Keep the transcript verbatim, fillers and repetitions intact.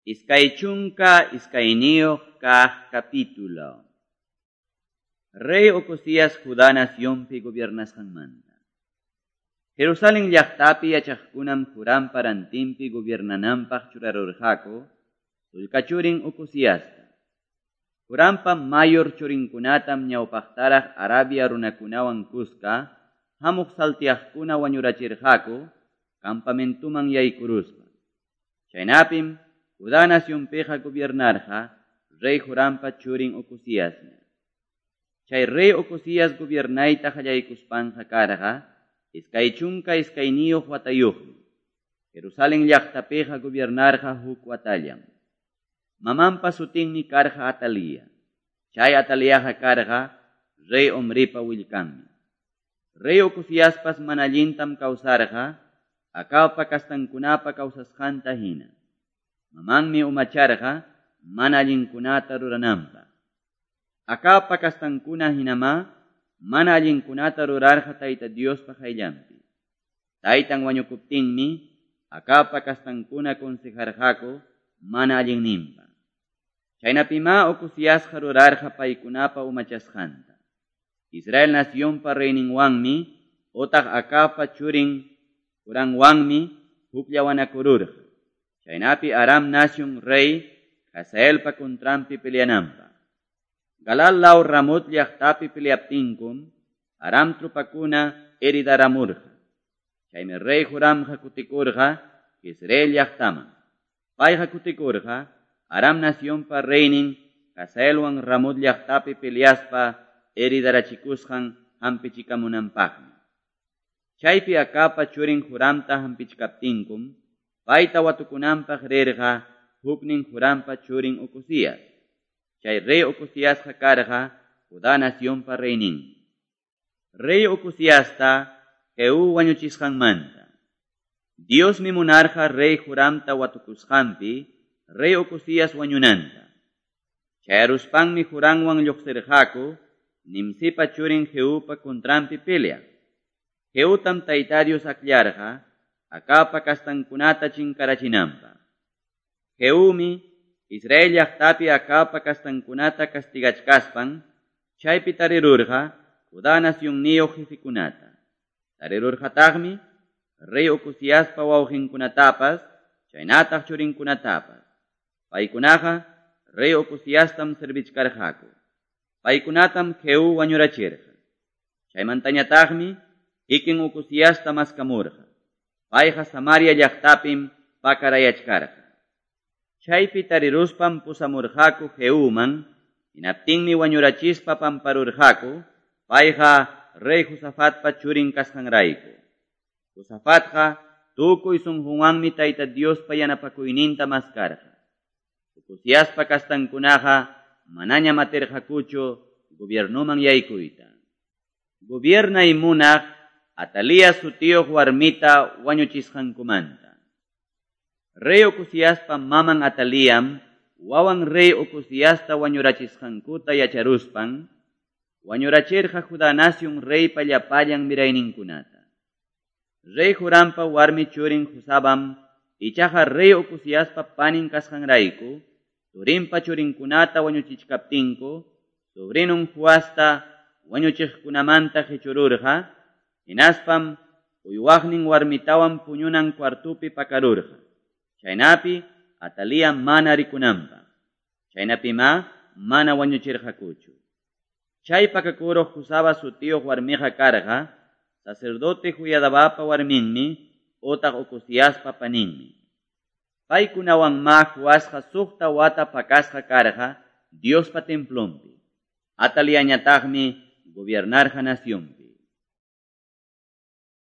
Iskay chunka iskayniyuq kaq capítulo. Rey Ocosías Judá nacionpi gobiernasqanmanta. Jerusalén llaqtapi yachaqkunam Jorampa rantinpi gobiernananpaq churarurqaku sullka churin Ocosiasta. Jorampa mayor churinkunatam ñawpaqtaraq Arabia runakunawan kuska hamuq saltiaqkuna wañurachirqaku campamentuman yaykuruspa. Chaynapim Judá nacionpiqa gobiernarqa rey Jorampa churin Ocosiasña. Chay rey Ocosías gobiernayta qallaykuspanqa karqa iskay chunka iskayniyuq watayuqmi. Jerusalén llaqtapiqa gobiernarqa huk watallam. Mamanpa sutinmi karqa Atalía. Chay Ataliaqa karqa rey Omripa willkanmi. Rey Ocosiaspas mana allintam kawsarqa Acabpa kastankunapa kawsasqanta hina. Mamanmi umacharqa mana allinkunata rurananpaq. Acabpa kastankuna hinama mana allinkunata rurarqa Tayta Diospa qayllanpi. Taytan wañukuptinmi Acabpa kastankuna consejarqaku mana allinninpaq. Chaynapima Ocosiasqa rurarqa paykunapa umachasqanta. Israel nacionpa reyninwanmi otaq Acabpa churin Joranwanmi hukllawanakururqa. Chaynapi Aram nacion rey Hazaelpa contranpi peleananpaq. Galal law Ramot llaqtapi peleaptinkum Aram trupakuna heridaramurqa. Chaymi rey Joramqa kutikurqa Jezreel llaqtaman. Payqa kutikurqa Aram nacionpa reynin Hazaelwan Ramot llaqtapi peleaspa heridarachikusqan hampichikamunanpaqmi. Chaypi Acabpa churin Joramta hampichikaptinkum payta watukunanpaq rirqa huknin Jorampa churin Ocosías. Chay rey Ocosiasqa karqa Judá nacionpa reynin. Rey Ocosiasta Jehú wañuchisqanmanta. Diosmi munarqa rey Joramta watukusqanpi rey Ocosías wañunanta. Chayaruspanmi Joramwan lluqsirqaku Nimsipa churin Jehupa contranpi peleaq. Jehutam Tayta Dios akllarqa Acabpa kastankunata chinkarachinanpaq. Jehumi Israel llaqtapi Acabpa kastankunata castigachkaspan chaypi tarirurqa Judá nacionniyuq jefikunata. Tarirurqataqmi rey Ocosiaspa wawqinkunatapas chaynataq churinkunatapas. Paykunaqa rey Ocosiastam servichkarqaku. Paykunatam Jehú wañurachirqa. Chaymantañataqmi kikin Ocosiasta maskamurqa. Payqa Samaria llaqtapim pakarayachkarqa. Chaypi tariruspam pusamurqaku Jehuman, hinaptinmi wañurachispa pamparurqaku, payqa rey Josafatpa churin kasqanrayku. Josafatqa tukuy sunqunwanmi Tayta Diospa yanapakuyninta maskarqa. Ocosiaspa kastankunaqa manañam atirqakuchu gobiernuman yaykuyta. Gobiernay munaq Atalía sutiyuq warmita wañuchisqankumanta. Rey Ocosiaspa maman Atalíam wawan rey Ocosiasta wañurachisqankuta yacharuspan wañurachirqa Judá nacion reypa llapallan mirayninkunata. Rey Jorampa warmi churin Josabam ichaqa rey Ocosiaspa panin kasqanrayku turinpa churinkunata wañuchichkaptinku sobrinun Joasta wañuchiqkunamanta qichururqa hinaspam uywaqnin warmitawan puñunan cuartupi pakarurqa. Chaynapi Atalía mana rikunanpaq. Chaynapima mana wañuchirqakuchu. Chay pakakuruq Josaba sutiyuq warmiqa karqa sacerdote Joiadabapa warminmi otaq Ocosiaspa paninmi. Paykunawanma Joasqa suqta wata pakasqa karqa Diospa templonpi. Ataliañataqmi gobiernarqa nacionpi.